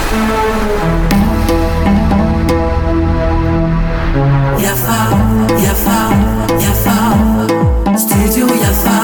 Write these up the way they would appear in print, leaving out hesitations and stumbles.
Yafa, yafa, yafa, studio Yafa.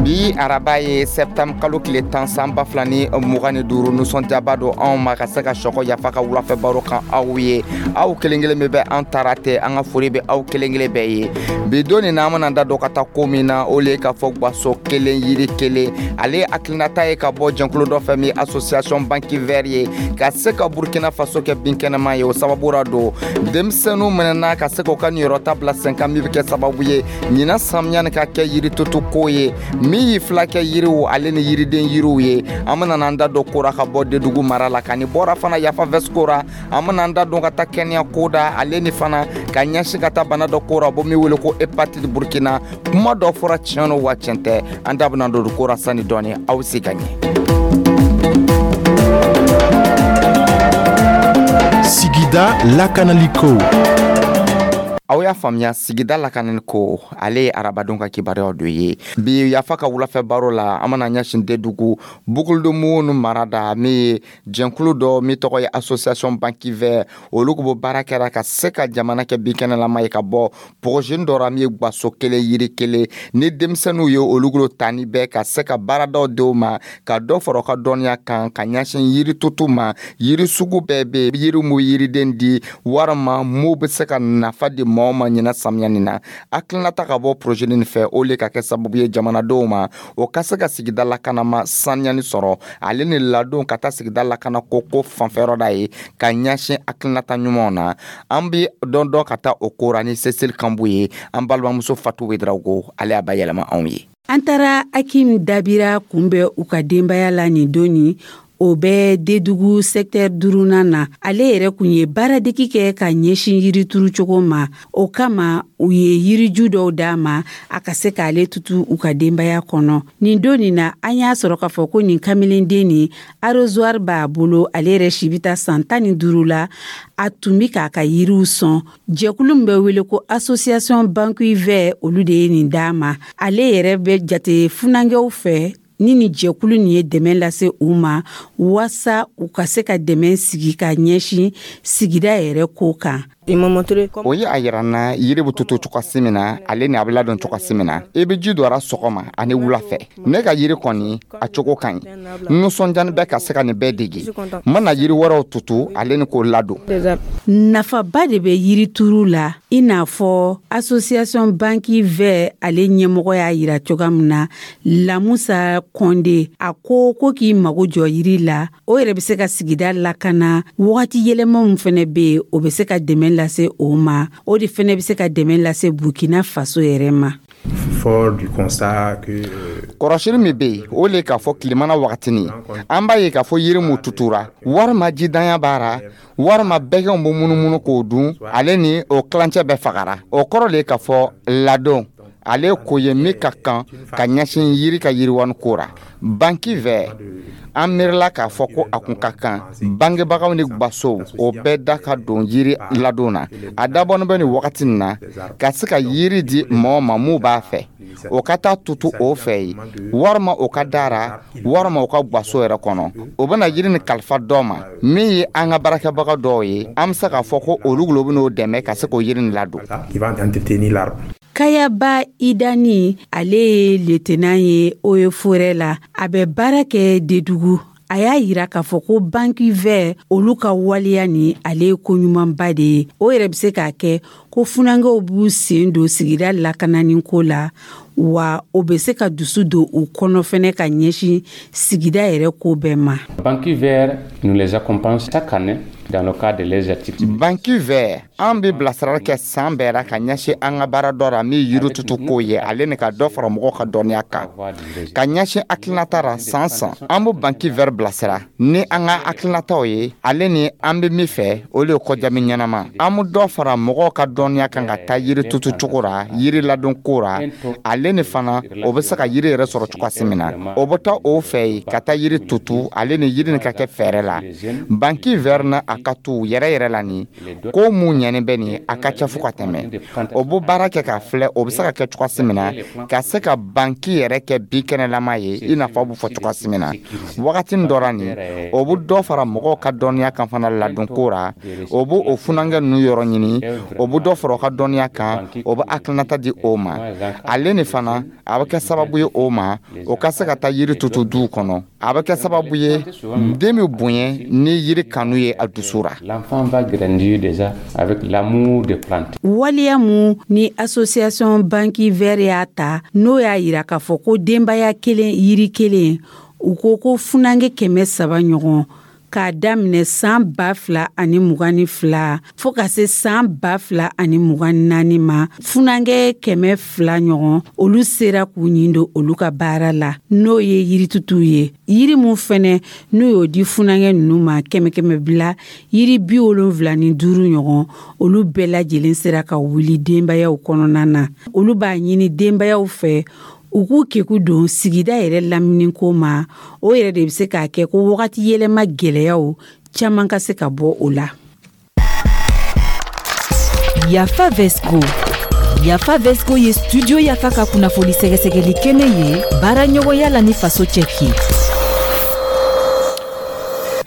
Bi araba ye septembre kalo tile 10, san 2025. Nisɔndiyaba don anw ma ka se ka sɔkɔ Yafa ka wulafɛ baro kan aw ye. Aw kelen kelen min bɛ an taara tɛ, an ka foli bɛ aw kelen kelen bɛɛ ye. Bi don nin na, an bɛna da don ka taa ko min na, o le ye k'a fɔ gaso kelen, yiri kelen. Ale hakilinata ye ka bɔ jɛnkulu dɔ fɛ min association Banque Vert ye, ka se ka Burkina Faso kɛ binkɛnɛma ye. O sababu ra don, denmisɛnninw minɛna ka se k'u ka niyɔrɔta bila sen kan, min bɛ kɛ sababu ye ɲinan samiya nin ka kɛ yiri tutu ko ye, min y'i fila kɛ yiriw ale ni yiriden yiriw ye. An bɛna an da don ko ra ka bɔ Dedugu mara la, ka ni bɔra fana Yafa Vɛsiko ra. An bɛna an da don ka taa kɛnɛya ko da, ale ni fana ka ɲɛsin ka taa bana dɔ ko ra bɔ min wele ko hépatite Burkina. Kuma dɔ fɔra, tiɲɛ no wa tiɲɛ tɛ? An da bɛna don ko ra sani dɔɔni. Aw si ka ɲɛ. Sigida lakanaliko. Aw y'a faamuya, sigida lakanani ko, ale ye arabadon ka kibaruyaw dɔ ye. Bi Yafa ka wulafɛ baro la, an bɛna ɲɛsin Dedugu Boucle-du-Mouhoun mara da, min ye jɛnkulu dɔ min tɔgɔ ye association Banque Vert. Olu ko baara kɛra ka se ka jamana kɛ binkɛnɛlama ye, ka bɔ projet dɔ ra min ye gaso kelen, yiri kelen, ni denmisɛnninw ye olu golo ta ni bɛɛ ka se ka baaradaw denw ma, ka dɔ fara u ka dɔnniya kan ka ɲɛsin yiri tutu ma. Yiri sugu bɛɛ bɛ yen, yiri mu yiriden di walima mu bɛ se ka nafa di mɔgɔw ma ɲinan samiya nin na. Hakilinata ka bɔ projet nin fɛ, o le ka kɛ sababu ye jamanadenw ma, o ka se ka sigida lakanama saniyani sɔrɔ, ale ni ladon ka taa sigida lakana ko fanfɛyɔrɔ da ye ka ɲɛsin hakilinata ɲumanw na. An bi dɔn dɔn ka taa o ko ra ni Cecile Kanbu ye. An balimamuso Fatu Wedrago, ale y'a bayɛlɛma anw ye. An taara Akim Dabira kunbɛn u ka denbaya la nin don nin, o bɛ Dedugu secteur duurunan na. Ale yɛrɛ kun ye baaradegi kɛ ka ɲɛsin yirituru cogo ma. O kama, u ye yiriju dɔw d'a ma a ka se k'ale tutu u ka denbaya kɔnɔ. Nin don nin na, an y'a sɔrɔ k'a fɔ ko nin kamelenden nin, arrosoir b'a bolo. Ale yɛrɛ si bɛ taa san 15 la. A tun bɛ k'a ka yiriw sɔn. Jɛkulu min bɛ wele ko association Banque Vert, olu de ye nin d'a ma. Ale yɛrɛ bɛ jate funankɛw fɛ ni jɛkulu nin ye dɛmɛ lase u ma waasa u ka se ka dɛmɛ sigi ka ɲɛsin sigida yɛrɛ ko kan. O ye a yira n na yiri bɛ tutu cogosi min na, ale ni a bɛ ladon cogosi min na. I bɛ ji don a ra sɔgɔma ani wula fɛ. Ne ka yiri kɔni, a cogo ka ɲi. N nisɔndiyani bɛ ka se ka nin bɛɛ dege. N bɛna yiri wɛrɛw tutu, ale ni k'o ladon. Nafaba de bɛ yirituru la, i n'a fɔ association Banque Vert ale ɲɛmɔgɔ y'a yira cogoya min na, Lamusa Kɔnde. A ko k'i mago jɔ yiri la, o yɛrɛ bɛ se ka sigida lakana. Wagati yɛlɛma min fɛnɛ bɛ yen, o bɛ se ka dɛmɛ lase o ma. O de fɛnɛ bɛ se ka dɛmɛ lase Burkina Faso yɛrɛ ma. Fort du constat que Kɔrɔsili min bɛ yen, o le k'a fɔ tilemana wagatini, an b'a ye k'a fɔ yiri mu tutura, walima jidanya b'a ra, walima bɛgɛnw bɛ munumunu k'o dun, ale ni o kilancɛ bɛɛ fagara. O kɔrɔ le k'a fɔ ladon, ale ko ye min ka kan ka ɲɛsin yiri ka yiriwani ko ra. Banque Vert, an miirila k'a fɔ ko a kun ka kan bangebagaw ni gwasow, o bɛɛ da ka don yiri ladon na. A dabɔnin bɛ nin wagati nin na ka se ka yiri di mɔgɔ ma mun b'a fɛ, o ka taa tutu o fɛ yen, walima o ka dara, walima o ka gwaso yɛrɛ kɔnɔ. O bɛna yiri ni kalifa dɔ ma min ye an ka baarakɛbaga dɔw ye. An bɛ se k'a fɔ ko olu lo bɛn'o dɛmɛ ka se k'o yiri nin ladon. Qui va entretenir l'arbre. Kayaba Idani, ale ye lieutenant ye Eaux et Forêts la. A bɛ baara kɛ Dedugu. A y'a yira k'a fɔ ko Banque Vert olu ka waleya ni ale ye koɲumanba de ye. O yɛrɛ bɛ se k'a kɛ ko funankɛw b'u sen don sigida lakanani ko la, wa o bɛ se ka dusu don u kɔnɔ fɛnɛ ka ɲɛsin sigida yɛrɛ ko bɛɛ ma. Banque Vert nous les accompagne chaque année dans le cadre de leurs activités. Banque Vert, an bɛ bilasirali kɛ san bɛɛ ra ka ɲɛsin an ka baara dɔ ra min ye yiri tutu ko ye, ale ni ka dɔ fara mɔgɔw ka dɔnniya kan ka ɲɛsin hakilinata ra. San san, an bɛ Banque Vert bilasira ni an ka hakilinataw ye, ale ni an bɛ min fɛ, o de ye kɔjami ɲɛnama. An bɛ dɔ fara mɔgɔw ka dɔnniya kan ka taa yiri tutu cogo ra, yiri ladon ko ra, ale ni fana o bɛ se ka yiri yɛrɛ sɔrɔ cogoya min na. O bɛ taa o fɛ yen ka taa yiri tutu, ale ni yiri nin ka kɛ fɛɛrɛ la. Banque Vert na a A ka tu yɛrɛ yɛrɛ la, nin ko mun ɲɛni bɛ nin, a ka ca fo ka tɛmɛ. O bɛ baara kɛ k'a filɛ, o bɛ se ka kɛ cogoya min na ka se ka banki yɛrɛ kɛ bi kɛnɛlama ye, i n'a fɔ a bɛ fɔ cogoya min na wagati dɔ nin. O bɛ dɔ fara mɔgɔw ka dɔnniya kan fana ladon ko ra. O bɛ o funankɛ ninnu yɔrɔ ɲini, o bɛ dɔ fara o ka dɔnniya kan, o bɛ hakilinata di o ma. Ale ni fana, a bɛ kɛ sababu ye o ma, o ka se ka taa yiri tutu duw kɔnɔ. A bɛ kɛ sababu ye, den bɛ bonya ni yiri kanu ye a dusu ra. L'enfant va grandir déjà avec l'amour des plantes. Waleya mun ni association Banque Verte y'a ta, n'o y'a yira k'a fɔ ko denbaya kelen, yiri kelen, u ko ko funankɛ 300 ɲɔgɔn, k'a daminɛ san 2022 fɔɔ ka se san 2024 ma, funankɛ 200 ɲɔgɔn, olu sera k'u ɲin don olu ka baara la, n'o ye yiritutuw ye. Yiri mun fɛnɛ n'u y'o di funankɛ ninnu ma, kɛmɛ kɛmɛ bila yiri 75 ɲɔgɔn, olu bɛɛ lajɛlen sera ka wuli denbayaw kɔnɔna na. Olu b'a ɲini denbayaw fɛ, u k'u keku don sigida yɛrɛ laminiko ma. O yɛrɛ de bɛ se k'a kɛ ko wagati yɛlɛma gwɛlɛyaw caman ka se ka bɔ o la. Yafa Vesco. Yafa Vesco ye Studio Yafa ka kunnafoni sɛgɛsɛgɛli kɛnɛ ye, baara ɲɔgɔnya la ni Faso Cɛki.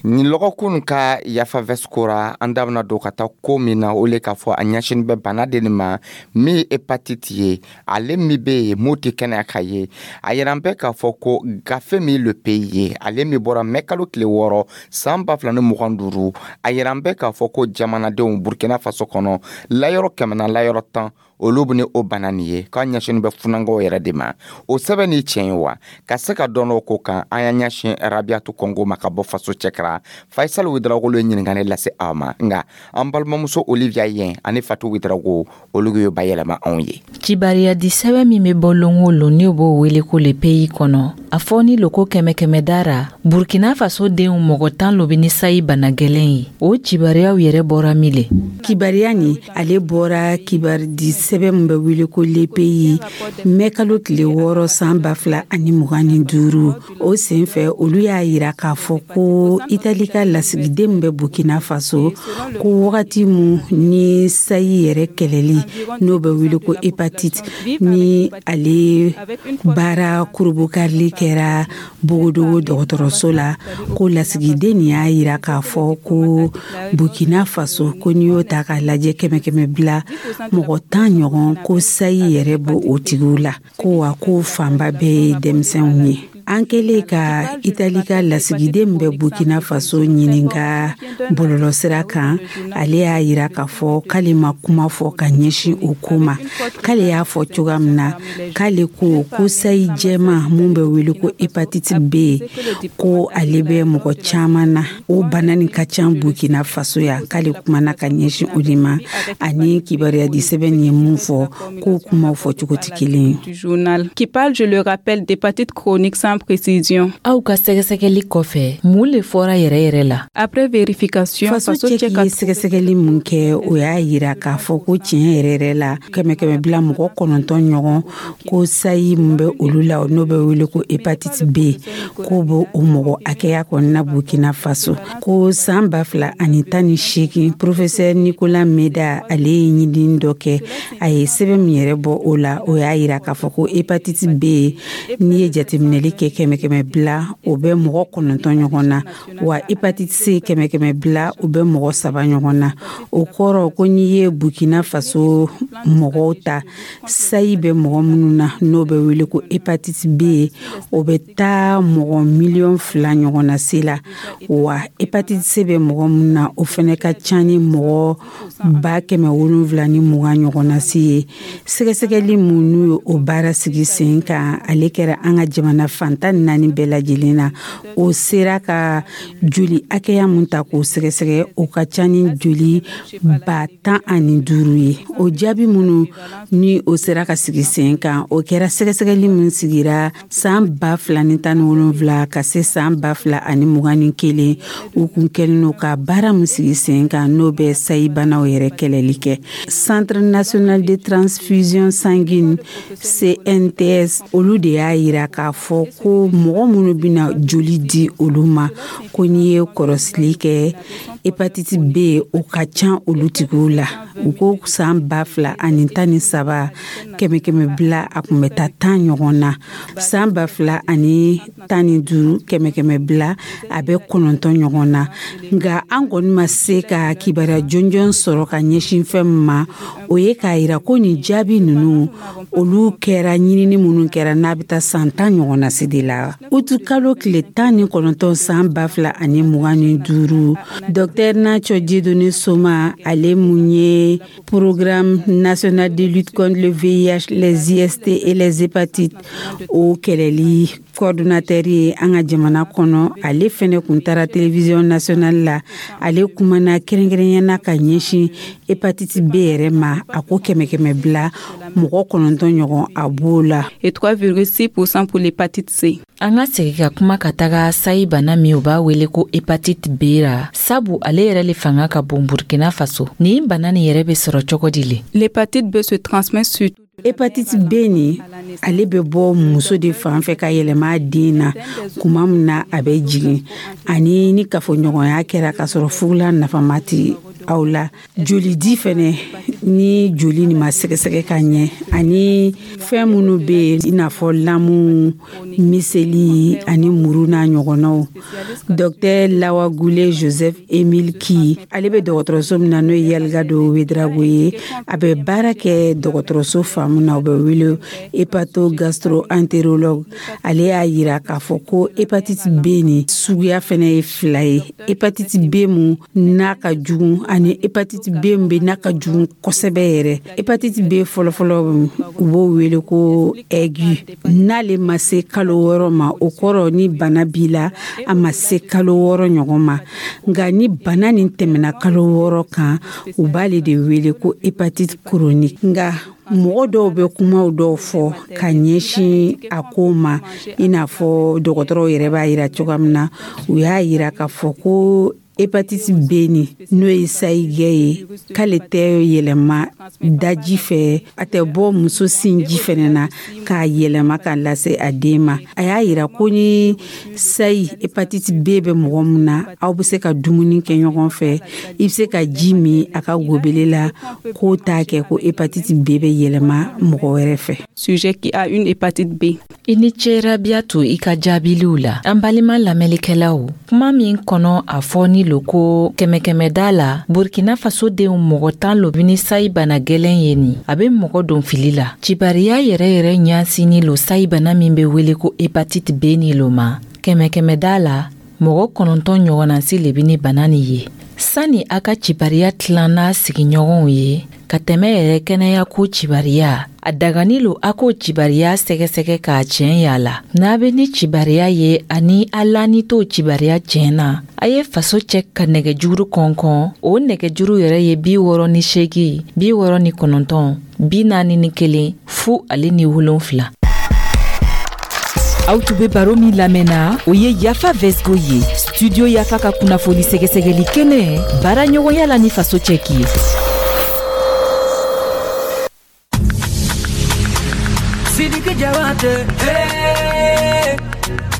Nin lɔgɔkun ka Yafa Vesco ra, an da bena don ka taa ko min na, o le k'a fɔ a ɲɛsini bɛ bana de nin ma min ye hépatite ye, ale min be yen m'o tɛ kɛnɛya ka ye. A yira bɛ k'a fɔ ko gafe min Le Pays ye, ale min bɔra mɛ kalo tile 6 san 2025, a yira bɛ k'a fɔ ko jamanadenw Burkina Faso kɔnɔ, layɔrɔ 100 na layɔrɔ 10, olu bɛ ni o bana nin ye, k'a ɲɛsini bɛ funankɛw yɛrɛ de ma. O sɛbɛn ni tiɲɛ ye wa? Ka se ka dɔn o ko kan, an y'an ɲɛsin Rabiatu Kɔngo ma ka bɔ Faso Cɛkara. Faisal Ouedraogo ye ɲininkali lase aw ma, nka an balimamuso Olivia Yen ani Fatu Ouedraogo, olu y'o bayɛlɛma anw ye. Kibariya di sɛbɛn min bɛ bɔ lon o lon, n'o b'o wele ko Le Pays kɔnɔ, a fɔ ni loko kɛmɛ kɛmɛ dara, Burkina Faso denw mɔgɔ 10 lo bɛ ni sayi bana gɛlɛn ye. O kibariyaw yɛrɛ bɔra min le? Kibariya nin, ale bɔra kibari di sɛbɛn min bɛ wele ko Le Pays, mɛ kalo tile 6 san 2025. O sen fɛ, olu y'a yira k'a fɔ ko Itali ka lasigiden min bɛ Burkina Faso, ko wagati mun ni sayi yɛrɛ kɛlɛli, n'o bɛ wele ko hépatite, ni ale baara kurubukarili kɛra Bogodogo dɔgɔtɔrɔso la, ko lasigiden nin y'a yira k'a fɔ ko Burkina Faso, ko n'i y'o ta k'a lajɛ, kɛmɛ kɛmɛ bila mɔgɔ 10 ɲɔgɔn, ko sayi yɛrɛ b'o o tigiw la, ko wa ko fanba bɛɛ ye denmisɛnw ye. An kɛlen ka Itali ka lasigiden min bɛ Burkina Faso ɲininka bɔlɔlɔsira kan, ale y'a yira k'a fɔ k'ale ma kuma fɔ ka ɲɛsin o ko ma. K'ale y'a fɔ cogoya min na, k'ale ko ko sayi jɛman mun bɛ wele ko hépatite B, ko ale bɛ mɔgɔ caman na, o bana nin ka ca Burkina Faso yan. K'ale kumana ka ɲɛsin o de ma. Ani kibaruya di sɛbɛn nin ye mun fɔ, k'o kumaw fɔ cogo tɛ kelen ye. Journal qui parle, je le rappelle, d'hépatite chronique sans précision. Aw ka sɛgɛsɛgɛli kɔfɛ, mun le fɔra yɛrɛ yɛrɛ la? Après vérification, Faso Cɛki ye sɛgɛsɛgɛli mun kɛ, o y'a yira k'a fɔ ko tiɲɛ yɛrɛ yɛrɛ la, kɛmɛ kɛmɛ bila mɔgɔ 9 ɲɔgɔn, ko sayi mun bɛ olu la, n'o bɛ wele ko hépatite B, k'o bɛ o mɔgɔ hakɛya kɔni na Burkina Faso. Ko san 2018, professeur Nicolas Meda, ale ye ɲinini dɔ kɛ, a ye sɛbɛn min yɛrɛ bɔ o la, o y'a yira k'a fɔ ko hépatite B, n'i ye jateminɛli kɛ, kɛmɛ kɛmɛ bila o bɛ mɔgɔ 9 ɲɔgɔn na, wa hépatite C, kɛmɛ kɛmɛ bila o bɛ mɔgɔ 3 ɲɔgɔn na. O kɔrɔ ko n'i ye Burkina Faso mɔgɔw ta, sayi bɛ mɔgɔ minnu na, n'o bɛ wele ko hépatite B, o bɛ taa mɔgɔ miliyɔn 2 ɲɔgɔn na se la, wa hépatite C bɛ mɔgɔ minnu na, o fɛnɛ ka ca ni mɔgɔ 720,000 ɲɔgɔn na se ye. Sɛgɛsɛgɛli mun n'u ye o baara sigi sen kan, ale kɛra an ka jamana fan 14 bɛɛ lajɛlen na. O sera ka joli hakɛya mun ta k'o sɛgɛsɛgɛ, o ka ca ni joli 15,000 ye. O jaabi minnu ni o sera ka sigi sen kan, o kɛra sɛgɛsɛgɛli min sigira san 2017 ka se san 2021. U kun kɛlen don ka baara min sigi sen kan, n'o bɛ sayibanaw yɛrɛ kɛlɛli kɛ, Centre national de transfusion sanguine, CNTS, olu de y'a yira k'a fɔ. ko mɔgɔ minnu bɛna joli di olu ma, ko n'i ye kɔrɔsili kɛ, hépatite B, o ka ca olu tigiw la. U ko san 2013, kɛmɛ kɛmɛ bila, a tun bɛ taa 10 ɲɔgɔn na. San 2015, kɛmɛ kɛmɛ bila, a bɛ 9 ɲɔgɔn na. Nka an kɔni ma se ka kibaruya jɔnjɔn sɔrɔ ka ɲɛsin fɛn min ma, o ye k'a yira ko nin jaabi ninnu, olu kɛra ɲinini minnu kɛra n'a bɛ taa san 10 ɲɔgɔn na se de la. Utu kalo tile 19 san 2025, docteur Nacho Dieudonné Soma, ale mun ye Programme national de lutte contre le VIH, les IST et les hépatites, o kɛlɛli coordonnateur ye an ka jamana kɔnɔ, ale fɛnɛ kun taara télévision nationale la. Ale kumana kɛrɛnkɛrɛnyana ka ɲɛsin hépatite B yɛrɛ ma. A ko kɛmɛ kɛmɛ bila, mɔgɔ 9 ɲɔgɔn a b'o la. Et 3,6% pour l'hépatite C. An ka segi ka kuma ka taga sayi bana min u b'a wele ko hépatite B ra, sabu ale yɛrɛ le fanga ka bon Burkina Faso. Nin bana nin yɛrɛ bɛ sɔrɔ cogo di le? L'hépatite B se transmet surtout Hépatite B nin, ale bɛ bɔ muso de fan fɛ ka yɛlɛma den na kuma min na a bɛ jigin, ani ni kafoɲɔgɔnya kɛra k'a sɔrɔ fugula nafama ti aw la. Jolidi fɛnɛ, ni joli nin ma sɛgɛsɛgɛ ka ɲɛ, ani fɛn minnu bɛ yen, i n'a fɔ lamu, miseli ani muru n'a ɲɔgɔnnaw. Docteur Lawagule Joseph Emile Ki, ale bɛ dɔgɔtɔrɔso min na, n'o ye Yalgado Ouédraogo ye, a bɛ baara kɛ dɔgɔtɔrɔso fan min na, o bɛ wele hépato gastro entérologue, ale y'a yira k'a fɔ ko hépatite B nin suguya fɛnɛ ye fila ye: hépatite B mun n'a ka jugu ani hépatite B min bɛ n'a ka jugu kosɛbɛ yɛrɛ. Hépatite B fɔlɔfɔlɔ, u b'o wele ko aigu. N'ale ma se kalo 6 ma, o kɔrɔ ni bana b'i la, a ma se kalo 6 ɲɔgɔn ma. Nka ni bana nin tɛmɛna kalo 6 kan, u b'ale de wele ko hépatite chronique. Nka mɔgɔ dɔw bɛ kumaw dɔw fɔ ka ɲɛsin a ko ma, i n'a fɔ dɔgɔtɔrɔw yɛrɛ b'a yira cogoya min na, u y'a yira k'a fɔ ko hépatite B nin, n'o ye sayigɛ ye, k'ale tɛ yɛlɛma daji fɛ, a tɛ bɔ muso sinji fɛnɛ na k'a yɛlɛma k'a lase a den ma. A y'a yira ko ni sayi hépatite B bɛ mɔgɔ min na, aw bɛ se ka dumuni kɛ ɲɔgɔn fɛ, i bɛ se ka ji min a ka gobele la, k'o t'a kɛ ko hépatite B bɛ yɛlɛma mɔgɔ wɛrɛ fɛ. Sujet qui a une hépatite B. I ni ce, Rabiyatu, i ka jaabiliw la. An balima lamɛnlikɛlaw, kuma min kɔnɔ a fɔ ni lo ko kɛmɛ kɛmɛda la, Burkina Faso denw mɔgɔ 10 lo ni sayi bana gwɛlɛn ye nin, a be mɔgɔ don fili la. Cibariya yɛrɛ yɛrɛ ɲasini lo sayi bana min be wele ko hépatite B ni lo ma, kɛmɛ kɛmɛda la, mɔgɔ 9 ɲɔgɔnnasi le be ni bana nin ye. Sani a ka cibariya tilan n'a sigiɲɔgɔnw ye ka tɛmɛ yɛrɛ kɛnɛya ko cibariya, a dagani lo a k'o cibariya sɛgɛsɛgɛ k'a tiɲɛ y'a la. N'a be ni cibariya ye ani a lani t'o cibariya tiɲɛ na, a ye Faso cɛ ka nɛgɛjuru kɔnkɔn. O nɛgɛjuru yɛrɛ ye 68 69 41 0 ale ni 7. Aw tun be baro min lamɛnna, o ye Yafa Vesgo ye, Studio Yafa ka kunnafoni sɛgɛsɛgɛli kɛnɛ, baara ɲɔgɔnya la ni Faso cɛki ye. Sidiki Diabaté, hey,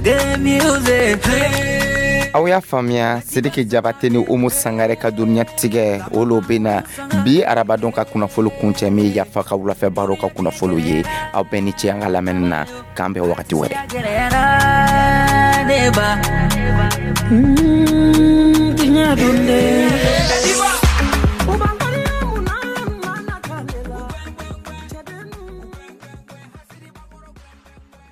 des music, hey. Aw y'a faamuya, Sidiki Jabate ni Umu Sangare ka duniɲa tigɛ, olu bɛ na bi arabadon ka kunnafolo kuncɛ min Yafa ka wulafɛ baro ka kunnafolo ye. Aw bɛɛ ni ce an ka lamɛnni na. K'an bɛn wagati wɛrɛ. Neba. Tiɲɛ don dɛ.